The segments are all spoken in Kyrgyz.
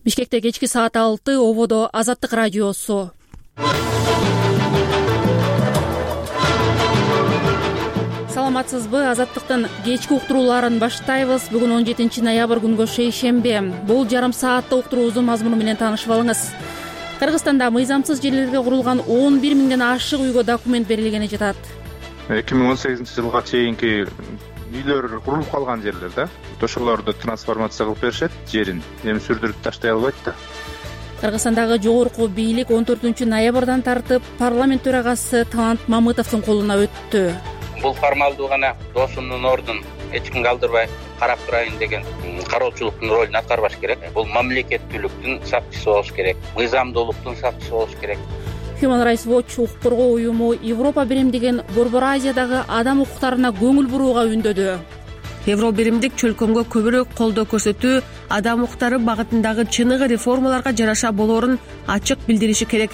Бишкекте кечки саат 6, ободо Азаттык радиосу. Саламатсызбы? Азаттыктын кечки уктурууларын баштайбыз. Бүгүн 17 ноябрь күнгө шейшембе. Бул жарым сааттык уктуруубуздун мазмуну менен таанышып алыңыз. Кыргызстанда мыйзамсыз жерлерге курулган 11 миңден ашык үйгө документ берилгени жатат. 2018-жылга чейинки үйлөр курулуп калган жерлер да. Ошолорду трансформация кылып беришет, жерин эми сүрдүрүп таштай албайт да. Кыргызстандагы жогорку бийлик 14 ноябрдан тартып парламент төрагасы Талант Мамытовдун колуна өттү. Бул формалдуу гана доосумдун ордун эч кимге калтырбай карап турайын деген кароочулуктун ролун аткарбаш керек. Бул мамлекеттүүлүктүн сакчысы болуш керек, мыйзамдуулуктун сакчысы болуш керек. Human Rights Watch укук коргоо уюму Европа биримдигин Борбор Азиядагы адам укуктарына көңүл бурууга үндөдү. Европа биримдик чөлкөмгө көбүрөөк колдоо көрсөтүү, адам укуктары багытындагы чыныгы реформаларга жараша болоорун ачык билдириши керек.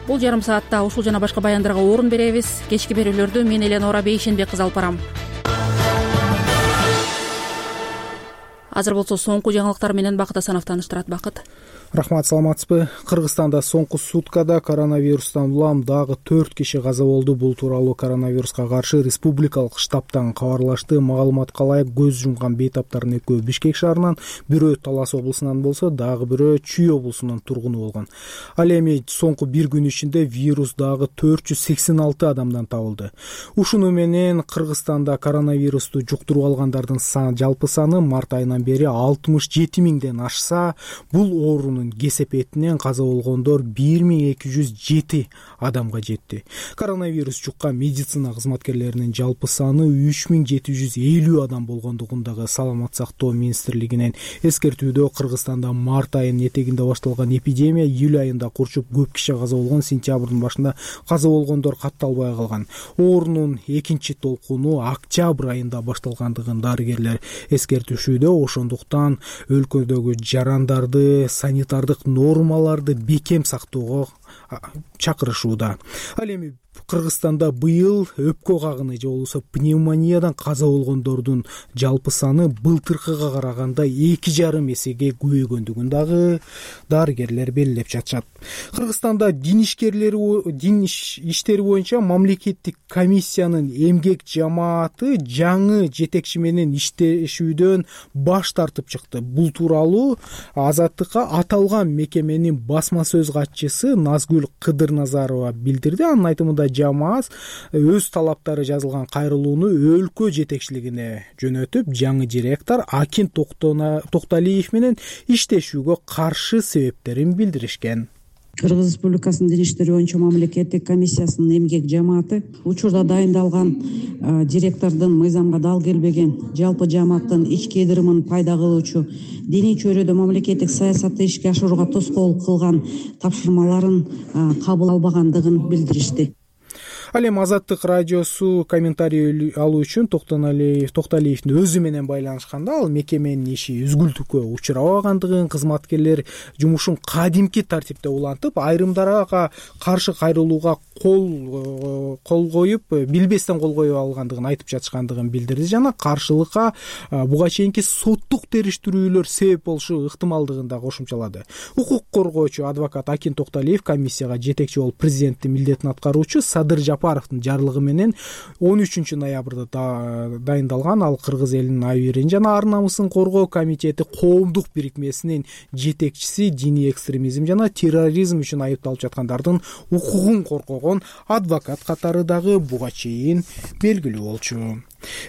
Бул жарым саатта ушул жана башка баяндарга орун беребиз. Кечки берүүлөрдү мен Эленора Бейшенбек кызы алып барам. Азыр болсо соңку жаңылыктар менен Бакыт Асанов тааныштырат. Бакыт. Рахмат, саламатсызбы? Кыргызстанда соңку суткада коронавирустан улам дагы 4 киши каза болду. Бул тууралуу коронавируска каршы республикалык штабтан кабарлашты. Маалыматка ылайык көз жумган бейтаптардын экөө Бишкек шаарынан, бирөө Талас облусунан болсо, дагы бирөө Чүй облусунун тургуну болгон. Ал эми соңку бир күн ичинде вирус дагы 486 адамдан табылды. Ушуну менен Кыргызстанда коронавирусту жуктуруп алгандардын жалпы саны март айынан бери 67 миңден ашса, бул оорунун кесепетинен каза болгондор 1207 адамга жетти. Коронавирус жуккан медицина кызматкерлеринин жалпы саны 3750 адам болгондугундагы Саламат сактоо министрлигинин эскертүүдө Кыргызстанда март айынын этегинде башталган эпидемия июль айында курчуп көп киши каза болгон, сентябрдын башында каза болгондор катталбай калган. Оорунун экинчи толкуну октябрь айында башталгандыгын дарыгерлер эскертишүүдө, ошондуктан өлкөдөгү жарандарды санитардык нормаларды бекем сактоого чакырышууда. Ал эми Кыргызстанда быйыл өпкө кагыны же болбосо пневмониядан каза болгондордун жалпы саны былтыркыга караганда 2,5 эсеге көбөйгөндүгүн дагы дарыгерлер белгилеп жатышат. Кыргызстанда дин иштери боюнча мамлекеттик комиссиянын эмгек жамааты жаңы жетекчи менен иштешүүдөн баш тартып чыкты. Бул тууралуу Азаттыкка аталган мекеменин басма сөз катчысы Назгүл Кыдырназарова билдирди. Анын айтымында жамаат өз талаптары жазылган кайрылууну өлкө жетекчилигине жөнөтүп, жаңы директор Акин Токталиев менен иштешүүгө каршы себептерин билдиришкен. Кыргыз Республикасынын дин иштери боюнча мамлекеттик комиссиясынын эмгек жамааты учурда дайындалган директордун мыйзамга дал келбеген жалпы жамааттын ички ыдырымын пайда кылуучу диний чөйрөдө мамлекеттик саясатты ишке ашырууга тоскоолдук кылган тапшырмаларын кабыл албагандыгын билдиришти. Ал эми Азаттык радиосу комментарий алуу үчүн Токталиевдин өзү менен байланышканда, ал мекеменин иши үзгүлтүккө учурабагандыгын, кызматкерлер жумушун кадимки тартипте улантып, айрымдарга каршы кайрылууга кол коюп, билбестен кол коюп алгандыгын айтып жатышкандыгын билдирди жана каршылыкка буга чейинки соттук териштирүүлөр себеп болушу ыктымалдыгын да кошумчалады. Укук коргоочу адвокат Акин Токталиев комиссияга жетекчи болуп президенттин милдетин аткаруучу Садыр Жапаровдун жарлыгы менен 13 ноябрда дайындалган ал кыргыз элинин абийирин жана ар намысын коргоо комитети коомдук бирикмесинин жетекчиси диний экстремизм жана терроризм үчүн айыпталып жаткандардын укугун коргогон адвокат катары дагы буга чейин белгилүү болчу.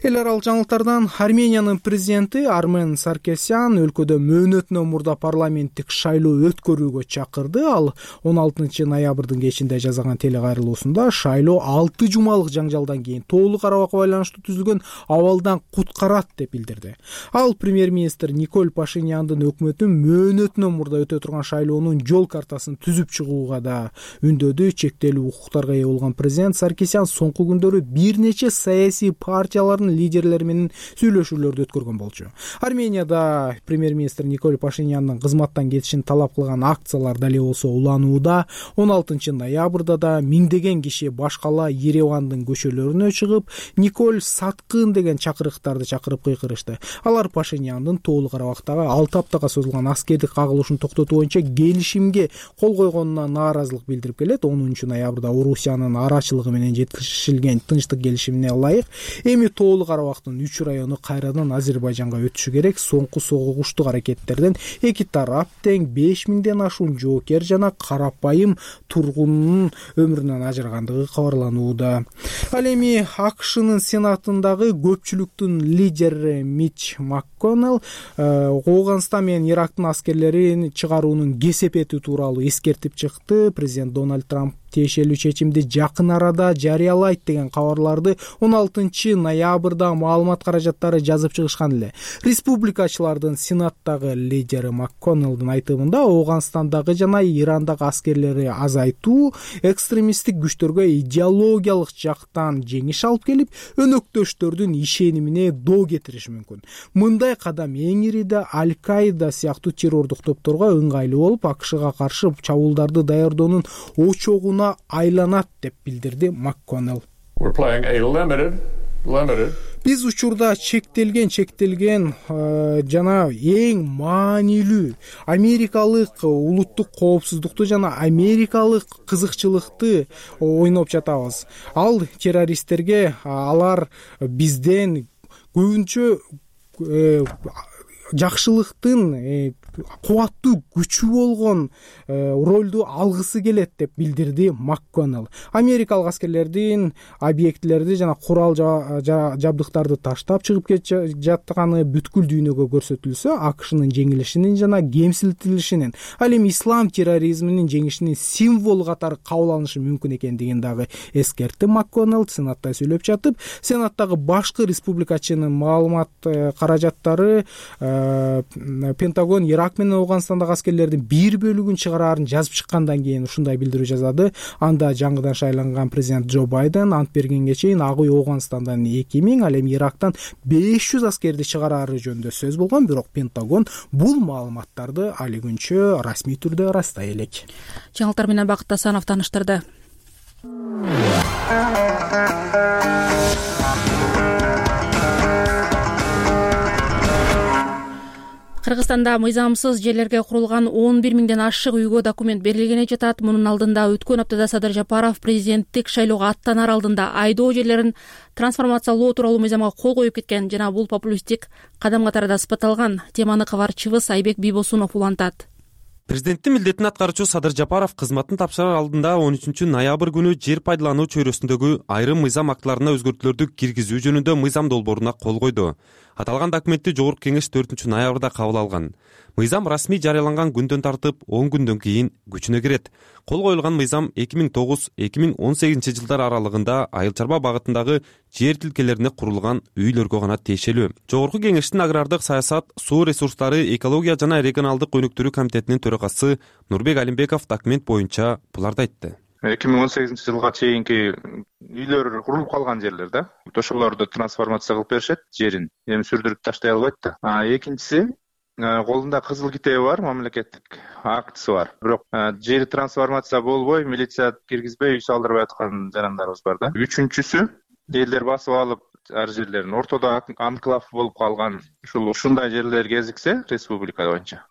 Эл аралык жаңылыктардан Армениянын президенти Армен Саркисян өлкөдө мөөнөтүнөн мурда парламенттик шайлоо өткөрүүгө чакырды. Ал 16 ноябрдын кечинде жасаган телекайрылуусунда шайлоо 6 жумалык жаңжалдан кийин тоолук арабакка байланыштуу түзүлгөн абалдан куткарат деп билдирди. Ал премьер-министр Николь Пашиняндын өкмөтүн мөөнөтүнөн мурда өтө турган шайлоонун жол картасын түзүп чыгууга да үндөдү. Чектелүү укуктарга ээ болгон президент Саркисян соңку күндөрү бир нече саясий партиялар республикаларынын лидерлери менен сүйлөшүүлөрдү өткөргөн болчу. Арменияда премьер-министр Николь Пашиняндын кызматтан кетишин талап кылган акциялар дале болсо уланууда. 16 ноябрда да миңдеген киши баш кала Еревандын көчөлөрүнө чыгып, Николь саткын деген чакырыктарды чакырып кыйкырышты. Алар Пашиняндын Тоолуу Карабактагы 6 аптага созулган аскердик кагылышын токтотуу боюнча келишимге кол койгонуна нааразылык билдирип келет. 10 ноябрда Орусиянын арачылыгы менен жеткирилген тынчтык келишимине ылайык эми Тоолуу Карабактын 3 району кайрадан Азербайжанга өтүшү керек. Соңку согуштук аракеттерден эки тарап тең 5000ден ашуун жоокер жана карапайым тургундун өмүрүнөн ажырагандыгы кабарланууда. Ал эми АКШнын Сенатындагы көпчүлүктүн лидери Мич МакКоннелл Ооганстан менен Ирактын аскерлерин чыгаруунун кесепети тууралуу эскертип чыкты. Президент Дональд Трамп тиешелүү чечимди жакын арада жарыялайт деген кабарларды 16 ноябрда маалымат каражаттары жазып чыгышкан эле. Республикачылардын Сенаттагы лидери МакКоннеллдин айтымында Ооганстандагы жана Ирандагы аскерлерди азайтуу экстремисттик күчтөргө идеологиялык жактан жеңиш алып келип, өнөктөштөрдүн ишенимине доо кетириши мүмкүн. Мындай кадам эң ириде Аль-Каида сыяктуу террордук топторго ыңгайлуу болуп, АКШга каршы чабуулдарды даярдоонун очогуна айланат деп билдирди МакКоннелл. Биз учурда чектелген жана эң маанилүү америкалык улуттук коопсуздукту жана америкалык кызыкчылыкты ойноп жатабыз. Ал террористтерге алар бизден көбүнчө жакшылыктын кубаттуу күчү болгон ролду алгысы келет деп билдирди МакКоннелл. Америкалык аскерлердин объектилерди жана курал жабдыктарды таштап чыгып жатканы бүткүл дүйнөгө көрсөтүлсө, АКШнын жеңилишинин жана кемсинтилишинин, ал эми ислам терроризминин жеңишинин символу катары кабыл алынышы мүмкүн экендигин дагы эскертти МакКоннелл. Сенатта сүйлөп жатып, Сенаттагы башкы республикачынын маалымат каражаттары Пентагон Ирак менен Ооганстандагы аскерлердин бир бөлүгүн чыгараарын жазып чыккандан кийин ушундай билдирүү жасады. Анда жаңыдан шайланган президент Джо Байден ант бергенге чейин Ак үй Ооганстандан 2000, ал эми Ирактан 500 аскерди чыгарары жөнүндө сөз болгон, бирок Пентагон бул маалыматтарды али күнчө расмий түрдө ырастай элек. Жаңылыктар менен Бакыт Асанов таныштырды. Кыргызстанда мыйзамсыз жерлерге курулган 11 миңден ашык үйгө документ берилгени жатат. Мунун алдында өткөн аптада Садыр Жапаров президенттик шайлоого аттанар алдында айдоо жерлерин трансформациялоо тууралуу мыйзамга кол коюп кеткен жана бул популисттик кадам катарында сыпатталган. Теманы кабарчыбыз Айбек Бийбосунов улантат. Президенттин милдетин аткаруучу Садыр Жапаров кызматын тапшырар алдында 13 ноябрь күнү жер пайдалануу чөйрөсүндөгү айрым мыйзам актыларына өзгөртүүлөрдү киргизүү жөнүндө мыйзам долбооруна кол койду. Аталган документти Жогорку Кеңеш 4 ноябрда кабыл алган. Мыйзам расмий жарыяланган күндөн тартып 10 күндөн кийин күчүнө кирет. Кол коюлган мыйзам 2009-2018 жылдар аралыгында айыл чарба багытындагы жер тилкелерине курулган үйлөргө гана тиешелүү. Жогорку Кеңештин агрардык саясат, суу ресурстары, экология жана регионалдык өнүктүрүү комитетинин төрагасы Нурбек Алимбеков документ боюнча буларды айтты. 2018 жылга чейинки үйлөр курулуп калган жерлер да, ошолорду трансформация кылып беришет, жерин эми сүрдүрүп таштай албайт да. Экинчиси, колунда кызыл китеби бар, мамлекеттик актысы бар. Бирок жери трансформация болбой, милиция киргизбей үй салдырбай аткан жарандарыбыз бар да. Үчүнчүсү, элдер басып алып ар жерлерин ортодо анклав болуп калган ушундай жерлер кезиксе республика боюнча,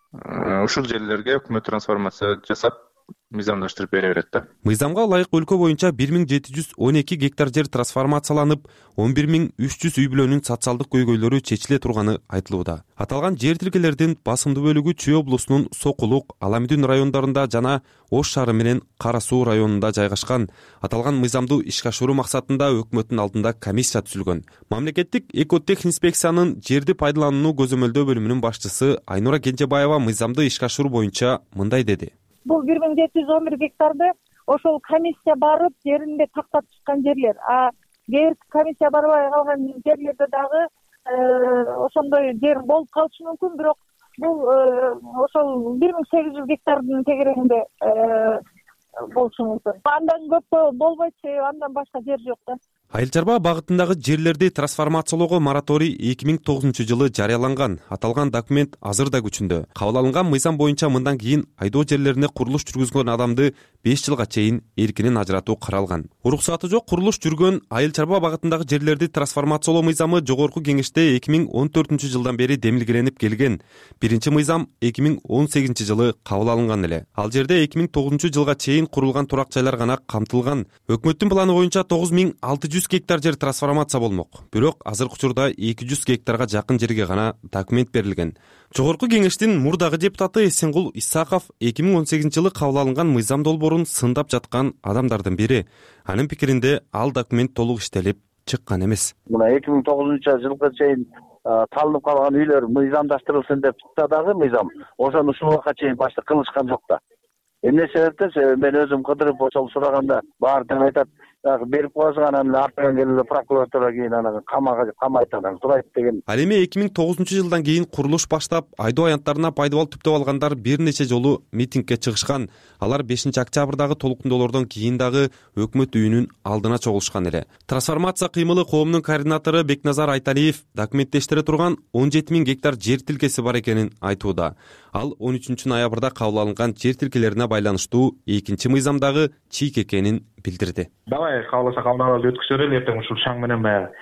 ушул жерлерге өкмөт трансформация жасап мыйзамдаштырып бере берет да. Мыйзамга ылайык өлкө боюнча 1712 гектар жер трансформацияланып, 11300 үй бүлөнүн социалдык көйгөйлөрү чечиле турганы айтылууда. Аталган жер тилкелердин басымдуу бөлүгү Чүй облусунун Сокулук, Аламүдүн райондарында жана Ош шаары менен Кара Суу районунда жайгашкан. Аталган мыйзамды ишке ашыруу максатында өкмөттүн алдында комиссия түзүлгөн. Мамлекеттик экотехинспекциянын жерди пайдаланууну көзөмөлдөө бөлүмүнүн башчысы Айнура Кенжебаева мыйзамды ишке ашыруу боюнча мындай деди. Бул 1711 гектарды ошол комиссия барып жеринде тактап чыккан жерлер. Кээ бир комиссия барбай калган жерлерде дагы ошондой жер болуп калышы мүмкүн, бирок бул ошол 1800 гектардын тегерегинде болушу мүмкүн. Андан көп болбойт, андан башка жер жок да. Айыл чарба багытындагы жерлерди трансформациялоого мораторий 2009-жылы жарыяланган. Аталган документ азыр да күчүндө. Кабыл алынган мыйзам боюнча мындан кийин айдоо жерлерине курулуш жүргүзгөн адамды 5 жылга чейин эркинен ажыратуу каралган. Уруксаты жок курулуш жүргөн айыл чарба багытындагы жерлерди трансформациялоо мыйзамы Жогорку Кеңеште 2014-жылдан бери демилгеленип келген. Биринчи мыйзам 2018-жылы кабыл алынган эле. Ал жерде 2009-жылга чейин курулган турак жайлар гана камтылган. Өкмөттүн планы боюнча 9600 гектар жер трансформация болмок. Бирок азыркы учурда 200 гектарга жакын жерге гана документ берилген. Жогорку Кеңештин мурдагы депутаты Эсенгул Исаков 2018-жылы кабыл алынган мыйзам долбоорун сындап жаткан адамдардын бири. Анын пикиринде ал документ толук иштелип чыккан эмес. Мына 2009-жылга чейин талынып калган үйлөр мыйзамдаштырылсын деп чыкса дагы мыйзам ошону ушул убакка чейин башты кылышкан жок да. Эмне себептен мен өзүм кыдырып ошол сураганда баары тең айтат, берип коесуң анан артынан келип прокуратура кийин анан камайт анан сурайт деген. Ал эми 2009-жылдан кийин курулуш баштап, айдоо аянттарына пайдабал түптөп алгандар бир нече жолу митингге чыгышкан. Алар 5-октябрдагы толуктондоолордон кийин дагы өкмөт үйүнүн алдына чогулушкан эле. Трансформация кыймылы коомунун координатору Бекназар Айталиев документтештире турган 17 000 гектар жер тилкеси бар экенин айтууда. Ал 13-ноябрда кабыл алынган жер тилкелерине байланыштуу экинчи мыйзамдагы чийик экенин билдирди. Давай кааласа кабыл өткүзө берели, эртең ушул шаң менен баягы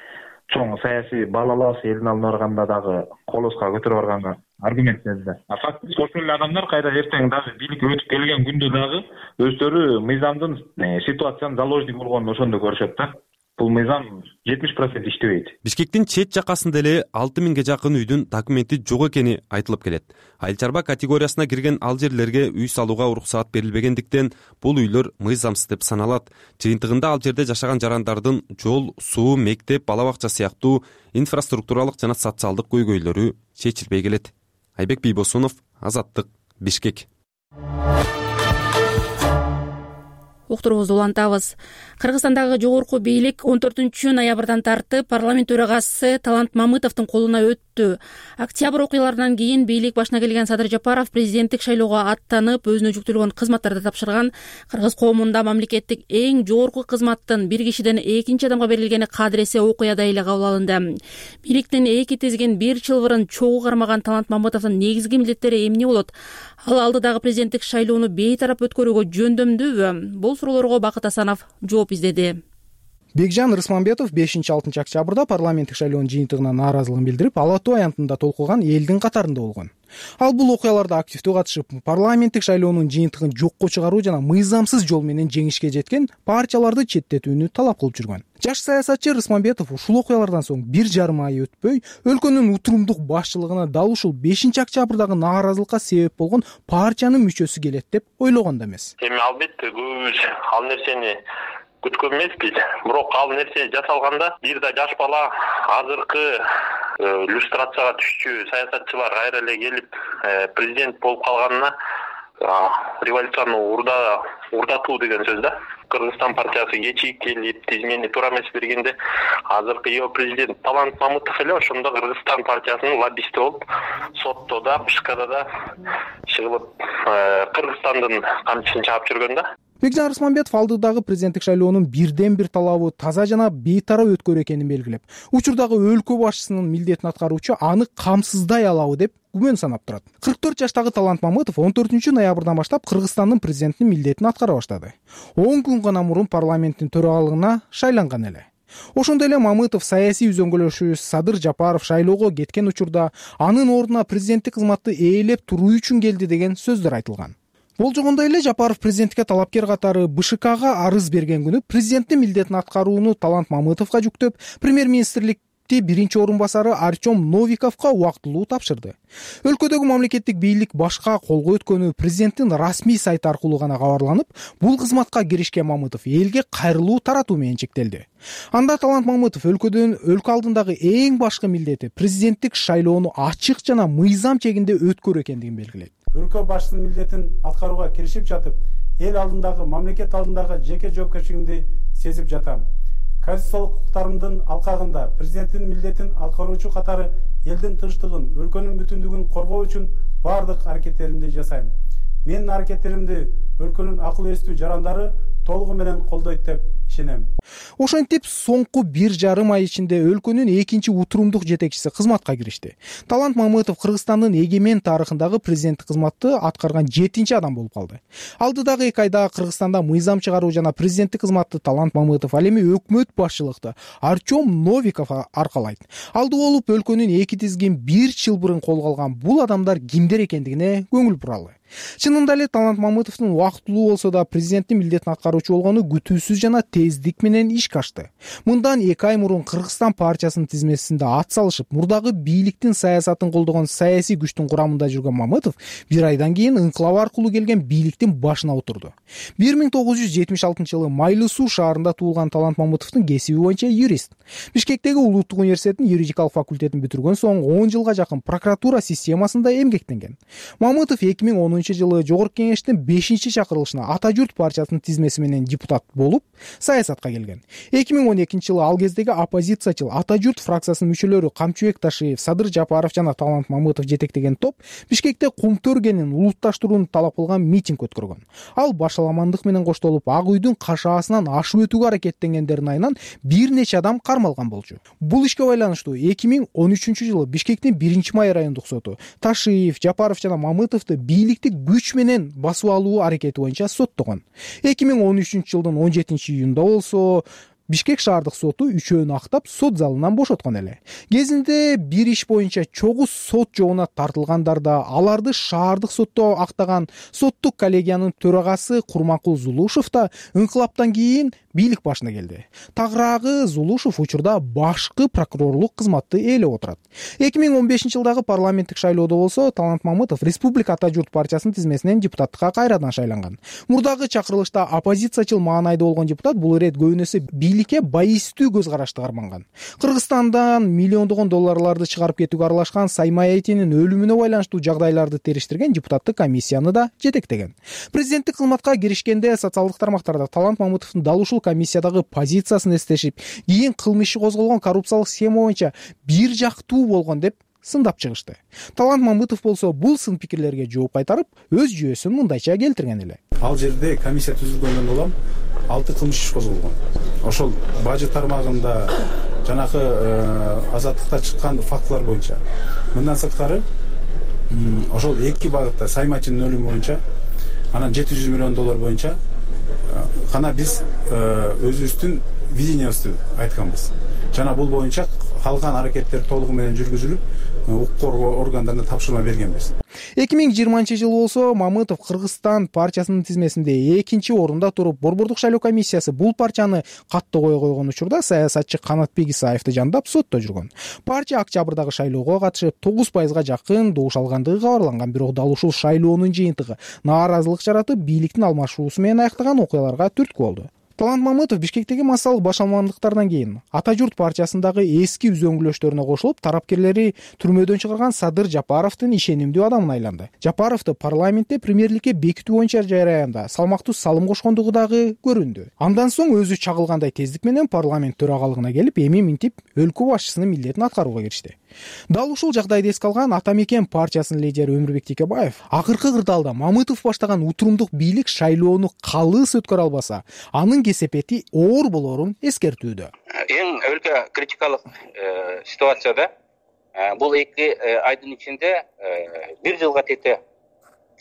чоң саясий балалаас элдин алдына барганда дагы колоска көтөрүп барганга аргумент берди. Фактически ошол эле адамдар кайра эртең дагы бийликке өтүп келген күндө дагы өздөрү мыйзамдын ситуациянын заложник болгонун ошондо көрүшөт да. Бул мыйзам 70% иштебейт. Бишкектин чет жакасында эле 6000ге жакын үйдүн документи жок экени айтылып келет. Айыл чарба категориясына кирген ал жерлерге үй салууга уруксаат берилбегендиктен бул үйлөр мыйзамсыз деп саналат. Жыйынтыгында ал жерде жашаган жарандардын жол, суу, мектеп, бала бакча сыяктуу инфраструктуралык жана социалдык көйгөйлөрү чечилбей келет. Айбек Бийбосунов, Азаттык, Бишкек. Уктуруубузду улантабыз. Кыргызстандагы жогорку бийлик 14-ноябрдан тартып парламент төрагасы Талант Мамытовдун колуна өттү. Октябрь окуяларынан кийин бийлик башына келген Садыр Жапаров президенттик шайлоого аттанып, өзүнө жүктөлгөн кызматтарды тапшырган. Кыргыз коомунда мамлекеттик эң жогорку кызматтын бир кишиден экинчи адамга берилгени кадыресе окуяда эле кабыл алынды. Бийликтин эки тизген бир чылбырын чогуу кармаган Талант Мамытовдун негизги милдеттери эмне болот? Ал алдыдагы президенттик шайлоону бейтарап өткөрүүгө жөндөмдүүбү? Бул суроолорго Бакыт Асанов жооп издеди. Бекжан Рысманбетов 5-6 октябрда парламенттик шайлоонун жыйынтыгына нааразылыгын билдирип, ала тоо аянтында толкуган элдин катарында болгон. Ал бул окуяларда активдүү катышып, парламенттик шайлоонун жыйынтыгын жокко чыгаруу жана мыйзамсыз жол менен жеңишке жеткен партияларды четтетүүнү талап кылып жүргөн. Жаш саясатчы Рысманбетов ушул окуялардан соң 1,5 ай өтпөй, өлкөнүн утурумдук башчылыгына дал ушул 5-октябрдагы нааразылыкка себеп болгон партиянын мүчөсү келет деп ойлогон да эмес. Эми албетте көбүбүз ал нерсени күткөн эмеспиз. Бирок ал нерсе жасалганда бир да жаш бала азыркы иллюстрацияга түшчү саясатчылар кайра эле келип президент болуп калганына революцияны урдатуу деген сөз да. Кыргызстан партиясы кечигип келип, тизмени туура эмес бергенде азыркы президент Талант Мамытов эле ошондо Кыргызстан партиясынын лоббисти болуп, сотто да, ШКда да чыгылып, Кыргызстандын камчысын чаап жүргөн да. Бекжан Рысманбетов алдыдагы президенттик шайлоонун бирден бир талабы таза жана бейтарап өткөрүү экенин белгилеп, учурдагы өлкө башчысынын милдетин аткаруучу аны камсыздай алабы деп күмөн санап турат. 44 жаштагы Талант Мамытов 14-ноябрдан баштап Кыргызстандын президентинин милдетин аткара баштады. 10 күн гана мурун парламенттин төрагалыгына шайланган эле. Ошондой эле Мамытов саясий үзөңгүлөшүүбүз Садыр Жапаров шайлоого кеткен учурда анын ордуна президенттик кызматты ээлеп туруу үчүн келди деген сөздөр айтылган. Болжогондой эле Жапаров президенттикке талапкер катары БШКга арыз берген күнү президенттин милдетин аткарууну Талант Мамытовго жүктөп, премьер-министрликти биринчи орун басары Артем Новиковго убактылуу тапшырды. Өлкөдөгү мамлекеттик бийлик башка колго өткөнү президенттин расмий сайты аркылуу гана кабарланып, бул кызматка киришкен Мамытов элге кайрылуу таратуу менен чектелди. Анда Талант Мамытов өлкө алдындагы эң башкы милдети президенттик шайлоону ачык жана мыйзам чегинде өткөрүү экендигин белгилейт. Өлкө башчысынын милдетин аткарууга киришип жатып, эл алдындагы, мамлекет алдындагы жеке жоопкерчилигимди сезип жатам. Конституциялык укуктарымдын алкагында президенттин милдетин аткаруучу катары элдин тынчтыгын, өлкөнүн бүтүндүгүн коргоо үчүн бардык аракеттеримди жасайм. Менин аракеттеримди өлкөнүн акыл эстүү жарандары толугу менен колдойт деп ишенем. Ошентип соңку 1,5 ай ичинде өлкөнүн экинчи утурумдук жетекчиси кызматка киришти. Талант Мамытов Кыргызстандын эгемен тарыхындагы президенттик кызматты аткарган 7-чи адам болуп калды. Алдыдагы 2 айда Кыргызстанда мыйзам чыгаруу жана президенттик кызматты Талант Мамытов ал эми өкмөт башчылыкты Артем Новиков аркалайт. Алды болуп өлкөнүн эки тизгин бир чылбырын колго алган бул адамдар кимдер экендигине көңүл буралы. Чынында эле Талант Мамытовдун убактылуу болсо да президенттин милдетин аткаруучу болгону күтүүсүз жана тездик менен ишке ашты. Мындан 2 ай мурун Кыргызстан партиясынын тизмесинде ат салышып, мурдагы бийликтин саясатын колдогон саясий күчтүн курамында жүргөн Мамытов 1 айдан кийин ыңкылап аркылуу келген бийликтин башына отурду. 1976-жылы Майлуу Суу шаарында туулган Талант Мамытовдун кесиби боюнча юрист. Бишкектеги Улуттук университеттин юридикалык факультетин бүтүргөн соң 10 жылга жакын прокуратура системасында эмгектенген. Мамытов 2010-жылы Жогорку кеңештин 5-чи чакырылышына Ата журт партиясынын тизмеси менен депутат болуп, саясатка келген. 2012-жылы ал кездеги оппозициячыл Ата журт фракциясынын мүчөлөрү Камчыбек Ташиев, Садыр Жапаров жана Талант Мамытов жетектеген топ Бишкекте кумтөр кенин улутташтырууну талап кылган митинг өткөргөн. Ал башаламандык менен коштолуп, Ак үйдүн кашаасынан ашып өтүүгө аракеттенгендердин айынан бир нече адам кармалган болчу. Бул ишке байланыштуу 2013-жылы Бишкектин 1-май райондук соту Ташиев, Жапаров жана Мамытовду бийликти күч менен басып алуу аракети боюнча соттогон. 2013-жылдын 17-июнда болсо Бишкек шаардык соту үчөөнү актап сот залынан бошоткон эле. Кезинде бир иш боюнча чогуу сот жообуна тартылгандар да аларды шаардык сотто актаган соттук коллегиянын төрагасы Курманкул Зулушев да ыңкылаптан кийин бийлик башына келди. Тагыраагы Зулушев учурда башкы прокурорлук кызматты ээлеп отурат. 2015-жылдагы парламенттик шайлоодо болсо Талант Мамытов Республика Ата журт партиясынын тизмесинен депутаттыкка кайрадан шайланган. Мурдагы чакырылышта оппозициячыл маанайда болгон депутат бул ирет көбүнөсү бийликке байыстуу көз карашты карманган. Кыргызстандан миллиондогон долларларды чыгарып кетүүгө аралашкан Саймай Айтинин өлүмүнө байланыштуу жагдайларды териштирген депутаттык комиссияны да жетектеген. Президенттик кызматка киришкенде социалдык тармактарда Талант Мамытовдун дал ушул комиссиядагы позициясын эстешип, кийин кылмыш иши козголгон коррупциялык схема боюнча бир жактуу болгон деп сындап чыгышты. Талант Мамытов болсо бул сын пикирлерге жооп кайтарып, өз жүйөсүн мындайча келтирген эле. Ал жерде комиссия түзүлгөндөн улам 6 кылмыш иш козголгон. Ошол бажы тармагында жанагы азаттыкта чыккан фактылар боюнча. Мындан сырткары ошол 2 багытта Саймачынын өлүмү боюнча анан 700 миллион доллар боюнча гана биз өзүбүздүн видениябызды айтканбыз. Жана бул боюнча калган аракеттер толугу менен жүргүзүлүп, укук коргоо органдарына тапшырма бергенбиз. 2020-жылы болсо Мамытов Кыргызстан партиясынын тизмесинде 2-чи орунда туруп, Борбордук шайлоо комиссиясы бул партияны каттоого койгон учурда саясатчы Канатбек Исаевди жандап сотто жүргөн. Партия октябрдагы шайлоого катышып 9% жакын добуш алгандыгы кабарланган, бирок дал ушул шайлоонун жыйынтыгы нааразылык жаратып, бийликтин алмашуусу менен аяктаган окуяларга түрткү болду. Талант Мамытов Бишкектеги массалык башаламандыктардан кийин Ата журт партиясындагы эски үзөңгүлөштөрүнө кошулуп, тарапкерлери түрмөдөн чыгарган Садыр Жапаровдун ишенимдүү адамына айланды. Жапаровду парламентте премьерликке бекитүү боюнча жараянда салмактуу салым кошкондугу дагы көрүндү. Андан соң өзү чагылгандай тездик менен парламент төрагалыгына келип, эми минтип өлкө башчысынын милдетин аткарууга киришти. Дал ушул жагдайды эске алган Ата мекен партиясынын лидери Өмүрбек Текебаев акыркы кырдаалда Мамытов баштаган утурумдук бийлик шайлоону калыс өткөрө албаса, анын кесепети оор болорун эскертүүдө. Эң өлкө критикалык ситуацияда бул 2 айдын ичинде 1 жылга тете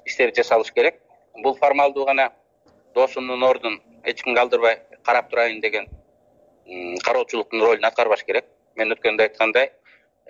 иштер жасалыш керек. Бул формалдуу гана досумдун ордун эч ким калтырбай карап турайын деген кароочулуктун ролун аткарбаш керек. Мен өткөндө айткандай,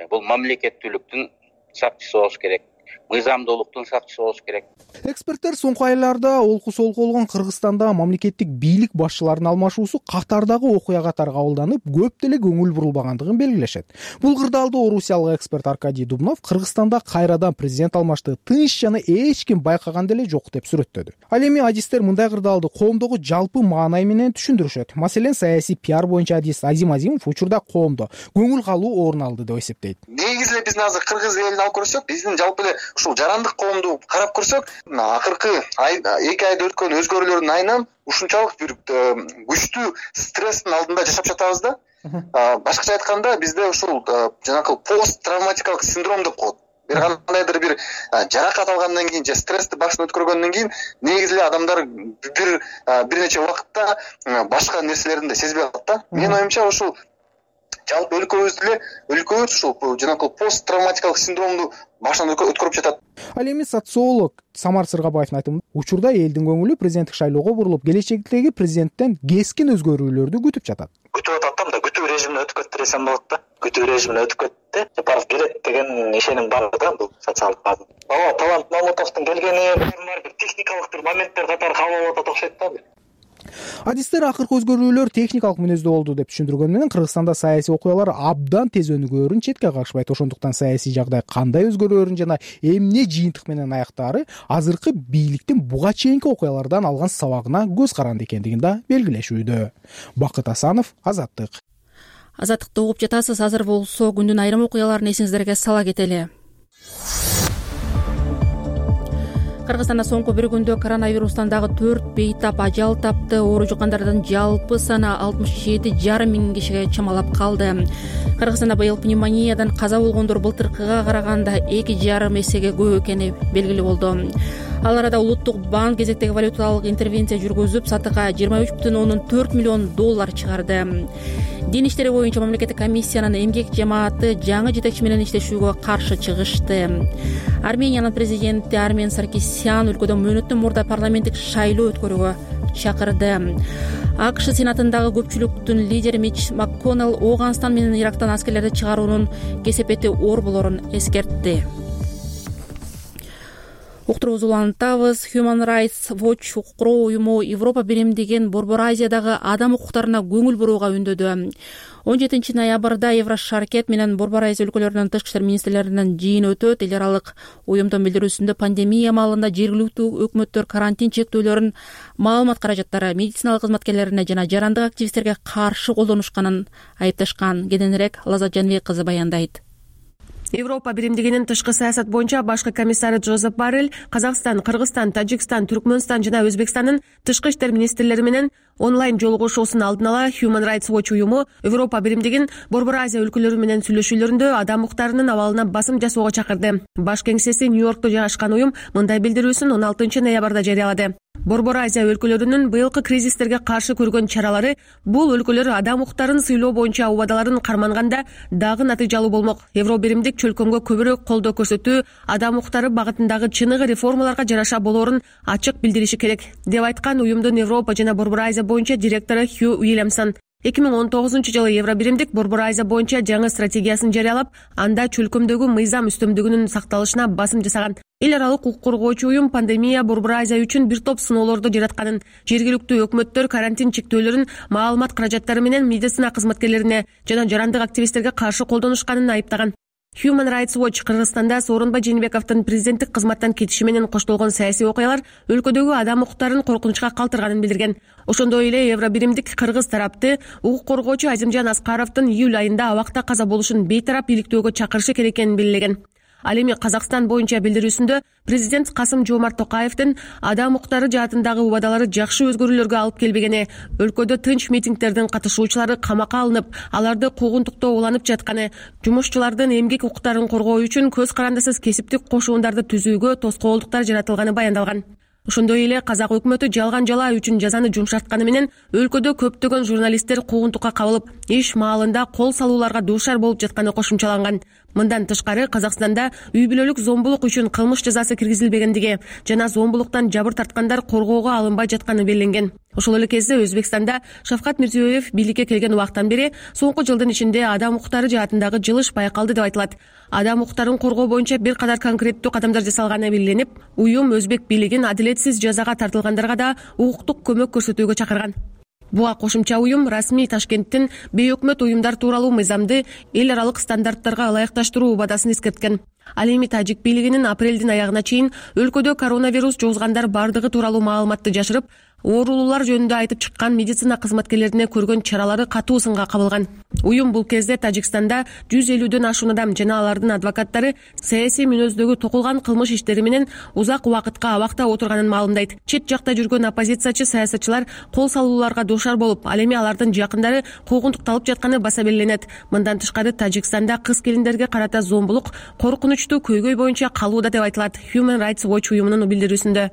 бул мамлекеттүүлүктүн сакчысы болуш керек. Мыйзамдуулуктун сакчысы болуш керек. Эксперттер соңку айларда олку-солку болгон Кыргызстанда мамлекеттик бийлик башчыларынын алмашуусу катардагы окуя катары кабылданып, көп деле көңүл бурулбагандыгын белгилешет. Бул кырдаалда орусиялык эксперт Аркадий Дубнов Кыргызстанда кайрадан президент алмашты тынч жана эч ким байкаган деле жок деп сүрөттөдү. Ал эми адистер мындай кырдаалды коомдогу жалпы маанай менен түшүндүрүшөт. Маселен, саясий пиар боюнча адист Азим Азимов учурда коомдо көңүл калуу орун алды деп эсептейт. Негизи эле биздин азыр кыргыз элин алып көрсөк, биздин жалпы эле ушул жарандык коомду карап көрсөк, акыркы 2 айда өткөн өзгөрүүлөрдүн айынан ушунчалык бир күчтүү стресстин алдында жашап жатабыз да. Башкача айтканда, бизде ушул жанагы пост травматикалык синдром деп коет. бир кандайдыр бир жаракат алгандан кийин же стрессти башынан өткөргөндөн кийин негизи эле адамдар бир нече убакытта башка нерселерин да сезбей калат да. Менин оюмча ушул жалпы өлкөбүз ушул жанагы посттравматикалык синдромду башынан өткөрүп жатат. Ал эми социолог Самар Сыргабаевдин айтымында учурда элдин көңүлү президенттик шайлоого бурулуп, келечектеги президенттен кескин өзгөрүүлөрдү күтүп жатат. Күтүп атат да, мында күтүү режимине өтүп кетти десем болот да. Күтүү режимине өтүп кетти. Жапаров келет деген ишеним бар да бул социалдык база. Талант Мамутовдун келгени бир техникалык бир моменттер катары кабыл алып атат окшойт да. Адистер акыркы өзгөрүүлөр техникалык мүнөздө болду деп түшүндүргөн менен Кыргызстанда саясий окуялар абдан тез өнүгөөрүн четке кагышпайт. Ошондуктан саясий жагдай кандай өзгөрөөрүн жана эмне жыйынтык менен аяктаары азыркы бийликтин буга чейинки окуялардан алган сабагына көз каранды экендигин да белгилешүүдө. Бакыт Асанов, Азаттык. Азаттыкты угуп жатасыз. Азыр болсо күндүн айрым окуяларын эсиңиздерге сала кетели. Кыргызстанда соңку бир күндө коронавирустан дагы 4 бейтап ажал тапты. Оору жуккандардын жалпы саны 67,5 миң кишиге чамалап калды. Кыргызстанда быйыл пневмониядан каза болгондор былтыркыга караганда 2,5 эсеге көп экени белгилүү болду. Ал арада Улуттук банк кезектеги валюталык интервенция жүргүзүп, сатыга $23,4 миллион чыгарды. Дин иштери боюнча мамлекеттик комиссиянын эмгек жамааты жаңы жетекчи менен иштешүүгө каршы чыгышты. Армениянын президенти Армен Саркисян өлкөдө мөөнөттөн мурда парламенттик шайлоо өткөрүүгө чакырды. АКШ сенатындагы көпчүлүктүн лидери Мич МакКоннелл Ооганстан менен Ирактан аскерлерди чыгаруунун кесепети оор болорун эскертти. Уктуруубузду улантабыз. Human Rights Watch укугу уюму Европа биримдигин Борбор Азиядагы адам укуктарына көңүл бурууга үндөдү. 17 ноябрда Еврошаркет менен Борбор Азия өлкөлөрүнүн тышкы иштер министрлеринин жыйыны өтөт. Эл аралык уюмдун билдирүүсүндө пандемия маалында жергиликтүү өкмөттөр карантин чектөөлөрүн маалымат каражаттары медициналык кызматкерлерине жана жарандык активисттерге каршы колдонушканын айыпташкан. Кененирээк Лазат Жанбек кызы баяндайт. Европа биримдигинин тышкы саясат боюнча башкы комиссары Жозеп Боррелл Казакстан, Кыргызстан, Тажикстан, Түркмөнстан жана Өзбекстандын тышкы иштер министрлери менен онлайн жолугушуусун алдын ала Human Rights Watch уюму Европа биримдигин Борбор Азия өлкөлөрү менен сүйлөшүүлөрүндө адам укуктарынын абалына басым жасоого чакырды. Баш кеңсеси Нью-Йоркто жайгашкан уюм мындай билдирүүсүн 16 ноябрда жарыялады. Борбор Азия өлкөлөрүнүн быйылкы кризистерге каршы көргөн чаралары бул өлкөлөр адам укуктарын сыйлоо боюнча убадаларын карманганда дагы натыйжалуу болмок. Евро биримдик чөлкөмгө көбүрөөк колдоо көрсөтүү адам укуктары багытындагы чыныгы реформаларга жараша болоорун ачык билдириши керек, деп айткан уюмдун Европа жана Борбор Азия боюнча директору Хью Уильямсон. 2019-жылы Евро биримдик Борбор Азия боюнча жаңы стратегиясын жарыялап, анда чөлкөмдөгү мыйзам үстөмдүгүнүн сакталышына басым жасаган. Эл аралык укук коргоочу уюм пандемия Борбор Азия үчүн бир топ сыноолорду жаратканын, жергиликтүү өкмөттөр карантин чектөөлөрүн маалымат каражаттары менен медицина кызматкерлерине жана жарандык активисттерге каршы колдонушканын айыптаган. Human Rights Watch Кыргызстанда Сооронбай Жээнбековдун президенттик кызматтан кетиши менен коштолгон саясий окуялар өлкөдөгү адам укуктарын коркунучка калтырганын билдирген. Ошондой эле Евро биримдик кыргыз тарапты укук коргоочу Азимжан Аскаровдун июль айында абакта каза болушун бейтарап иликтөөгө чакырышы керек экенин белгилеген. Ал эми Казакстан боюнча билдирүүсүндө президент Касым-Жомарт Токаевдин адам укуктары жаатындагы убадалары жакшы өзгөрүүлөргө алып келбегени, өлкөдө тынч митингдердин катышуучулары камакка алынып, аларды куугунтуктоо уланып жатканы, жумушчулардын эмгек укуктарын коргоо үчүн көз карандысыз кесиптик кошуундарды түзүүгө тоскоолдуктар жаратылганы баяндалган. Ошондой эле казак өкмөтү жалган жалаа үчүн жазаны жумшартканы менен өлкөдө көптөгөн журналисттер куугунтукка кабылып, иш маалында кол салууларга дуушар болуп жатканы кошумчаланган. Мындан тышкары Казакстанда үй бүлөлүк зомбулук үчүн кылмыш жазасы киргизилбегендиги жана зомбулуктан жабыр тарткандар коргоого алынбай жатканы белгиленген. Ошол эле кезде Өзбекстанда Шавкат Мирзиёев бийликке келген убактан бери соңку жылдын ичинде адам укуктары жаатындагы жылыш байкалды деп айтылат. Адам укуктарын коргоо боюнча бир кадар конкреттүү кадамдар жасалганы белгиленип, уюм өзбек бийлигин адилетсиз жазага тартылгандарга да укуктук көмөк көрсөтүүгө чакырган. Буга кошумча уюм расмий Ташкенттин бейөкмөт уюмдар тууралуу мыйзамды эл аралык стандарттарга ылайыкташтыруу убадасын эскерткен. Ал эми тажик бийлигинин апрелдин аягына чейин өлкөдө коронавирус жугузгандар бардыгы тууралуу маалыматты жашырып, оорулуулар жөнүндө айтып чыккан медицина кызматкерлерине көргөн чаралары катуу сынга кабылган. Уюм бул кезде Тажикстанда 150дөн ашуун адам жана алардын адвокаттары саясий мүнөздөгү токулган кылмыш иштери менен узак убакытка абакта отурганын маалымдайт. Чет жакта жүргөн оппозициячы саясатчылар кол салууларга дуушар болуп, ал эми алардын жакындары куугунтукталып жатканы баса белгиленет. Мындан тышкары Тажикстанда кыз келиндерге карата зомбулук коркунучтуу көйгөй боюнча калууда деп айтылат Human Rights Watch уюмунун билдирүүсүндө.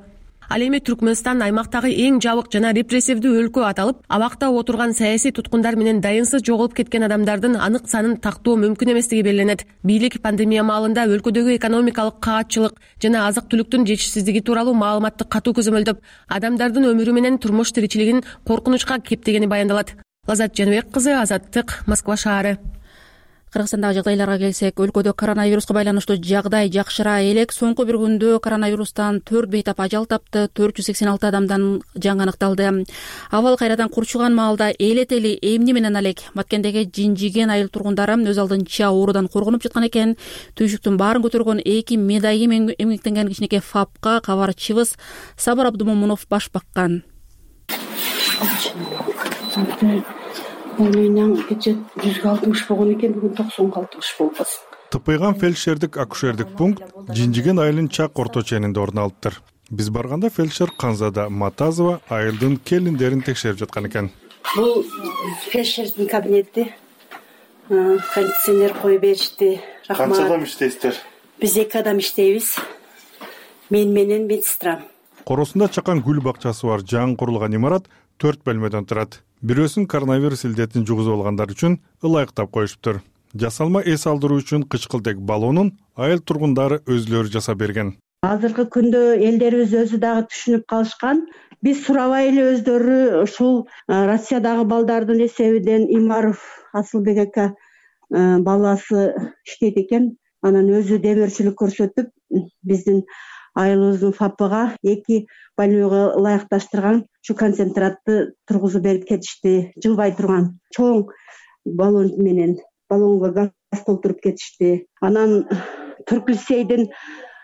Ал эми Түркмөнстан аймактагы эң жабык жана репрессивдүү өлкө аталып, абакта отурган саясий туткундар менен дайынсыз жоголуп кеткен адамдардын анык санын тактоо мүмкүн эместиги белгиленет. Бийлик пандемия маалында өлкөдөгү экономикалык каатчылык жана азык-түлүктүн жетишсиздиги тууралуу маалыматты катуу көзөмөлдөп, адамдардын өмүрү менен турмуш тиричилигин коркунучка кептегени баяндалат. Лазат Жаныбек кызы, Азаттык, Москва шаары. Кыргызстандагы жагдайларга келсек, өлкөдө коронавируска байланыштуу жагдай жакшыра элек. Соңку бир күндө коронавирустан 4 бейтап ажал тапты, 486 адамдан жаңы аныкталды. Абал кайрадан курчуган маалда элетели эмни менен алек Баткендеги Жинжиген айыл тургундары өз алдынча оорудан коргонуп жаткан экен. Түйшүктүн баарын көтөргөн 2 медайым эмгектенген кичинекей ФАПка кабарчыбыз Сабыр Абдумомунов баш баккан. Менен кече 160 болгон экен, бүгүн 90 болду. Тыпыйган фельдшердик акушердик пункт Жинжиген айылынын чак орто ченинде орун алыптыр. Биз барганда фельдшер Канзада Матазова айылдын келиндерин текшерип жаткан экен. Бул фельдшердин кабинети. Кондиционер коюп беришти. Рахмат. Канча адам иштейсиздер? Биз 2 адам иштейбиз. Мен менен медсестрам. Коросунда чакан гүл бакчасы бар жаңы курулган имарат 4 бөлмөдөн турат. Бирөөсүн коронавирус илдетин жугузуп алгандар үчүн ылайыктап коюшуптур. Жасалма эс алдыруу үчүн кычкылтек баллонун айыл тургундары өзүлөрү жасап берген. Азыркы күндө элдерибиз өзү дагы түшүнүп калышкан. Биз сурабай эле өздөрү ушул Россиядагы балдардын эсебинен Имаров Асылбек ака баласы иштейт экен. Анан өзү демөөрчүлүк көрсөтүп, биздин айылыбыздын ФАПга 2 больнойго ылайыкташтырган ушу концентратты тургузуп берип кетишти. Жылбай турган чоң баллон менен баллонго газ толтуруп кетишти. Анан Түрк-лицейдин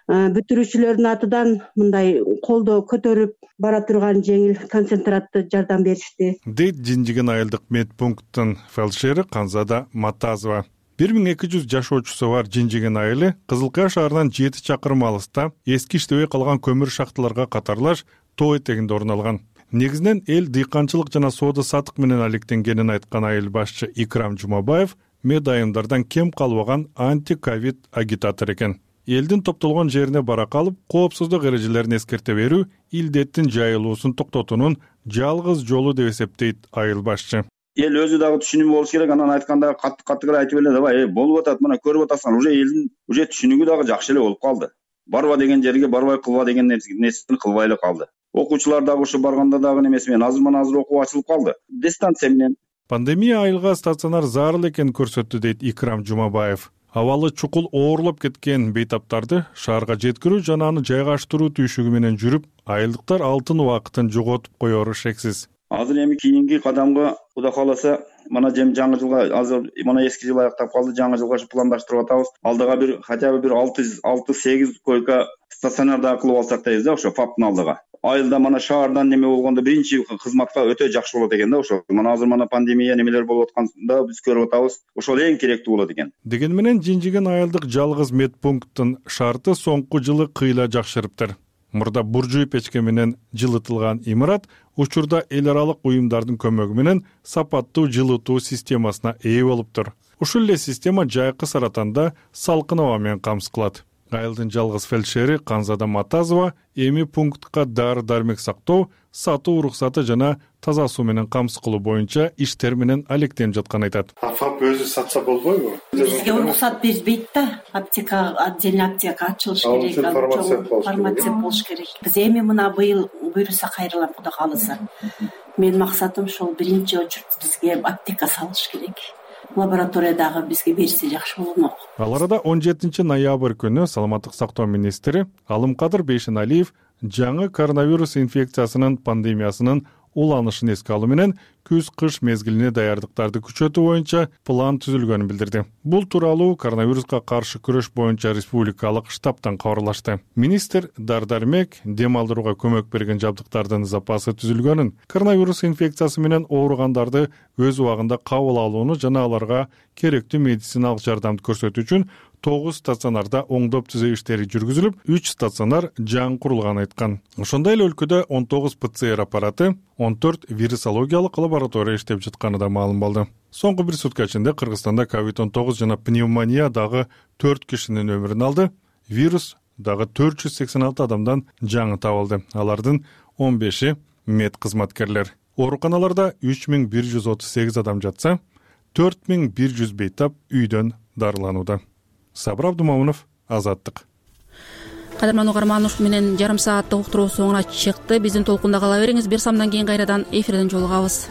бүтүрүүчүлөрүнүн атынан мындай колдо көтөрүп бара турган жеңил концентратты жардам беришти. Дейт Жинжиген айылдык медпункттун фельдшери Канзада Матазова. 1200 жашоочусу бар Жинжиген айылы Кызылкая шаарынан 7 чакырым алыста эски иштебей калган көмүр шахталарга катарлаш тоо этегинде орун алган. Негизинен эл дыйканчылык жана соода сатык менен алектенгенин айткан айыл башчы Икрам Жумабаев медайымдардан кем калбаган анти-ковид агитатор экен. Элдин топтолгон жерине бара калып, коопсуздук эрежелерин эскерте берүү илдеттин жайылуусун токтотуунун жалгыз жолу деп эсептейт айыл башчы. Эл өзү дагы түшүнүү болуш керек. Анан айтканда катты айтып эле давай, болуп атат, мына көрүп атасың, уже элдин түшүнүгү дагы жакшы эле болуп калды. Барба деген жерге барбай, кылба деген нерсени кылбай эле калды. Окуучулар дагы ушу барганда дагы немеси менен азыр окуу ачылып калды. Дистанция менен. Пандемия айылга стационар зарыл экенин көрсөттү дейт Икрам Жумабаев. Абалы чукул оорлоп кеткен бейтаптарды шаарга жеткирүү жана аны жайгаштыруу түйшүгү менен жүрүп, айылдыктар алтын убакытын жоготуп коеру шексиз. Азыр эми кийинки кадамга Кудай кааласа, мына жаңы жылга азыр мына эски жыл аяктап калды, жаңы жылга пландаштырып атабыз. Алдыга бир хотя бы бир 6-8 койка стационарда кылып алсак дейбиз да, ошо ФАПтын алдыга. Айылда мана шаардан неме болгондо биринчи кызматка өтө жакшы болот экен да ошо. Мына азыр мана пандемия немелер болуп атканда биз көрүп атабыз. Ошол эң керектүү болот экен. Деген менен Жинжиген айылдык жалгыз медпункттун шарты соңку жылы кыйла жакшырыптыр. Мурда буржуй печке менен жылытылган имарат учурда эл аралык уюмдардын көмөгү менен сапаттуу жылытуу системасына ээ болуптур. Ушул эле система жайкы Саратанда салкын аба менен камсыз кылат. Айылдын жалгыз фельдшери Канзада Матазова эми пунктка дары-дармек сактоо, сатуу уруксаты жана таза суу менен камсыз кылуу боюнча иштер менен алектенип жатканын айтат. ФАП өзү сатса болбойбу? Бизге уруксат бербейт да. Аптека, отдельный аптека ачылыш керек, фармация болуш керек. Биз эми мына быйыл буйруса кайрылам, Кудай кааласа. Менин максатым ошол биринчи очередь бизге аптека салыш керек. Лабораториядагы бизге берсе жакшы болмок. Ал арада 17 ноябрь күнү Саламаттык сактоо министри Алымкадыр Бейшеналиев жаңы коронавирус инфекциясынын пандемиясынын уланышын эске алуу менен күз-кыш мезгилине даярдыктарды күчөтүү боюнча план түзүлгөнүн билдирди. Бул тууралуу коронавируска каршы күрөш боюнча республикалык штабтан кабарлашты. Министр дар-дармек, дем алдырууга көмөк берген жабдыктардын запасы түзүлгөнүн, коронавирус инфекциясы менен ооругандарды өз убагында кабыл алууну жана аларга керектүү медициналык жардамды көрсөтүү үчүн 9 стационарда оңдоп түзөө иштери жүргүзүлүп, 3 стационар жаңы курулганын айткан. Ошондой эле өлкөдө 19 ПЦР аппараты, 14 вирусологиялык лаборатория иштеп жатканы да маалым болду. Соңку бир сутка ичинде Кыргызстанда COVID-19 жана пневмония дагы 4 кишинин өмүрүн алды. Вирус дагы 486 адамдан жаңы табылды. Алардын 15-и мед кызматкерлер. Ооруканаларда 3138 адам жатса, 4100 бейтап үйдөн дарыланууда. Сабыр Абдумамунов, Азаттык. Кадырман угарман, ушун менен жарым сааттык уктуруу соңуна чыкты. Биздин толкунда кала бериңиз. Бир самдан кийин кайрадан эфирден жолугабыз.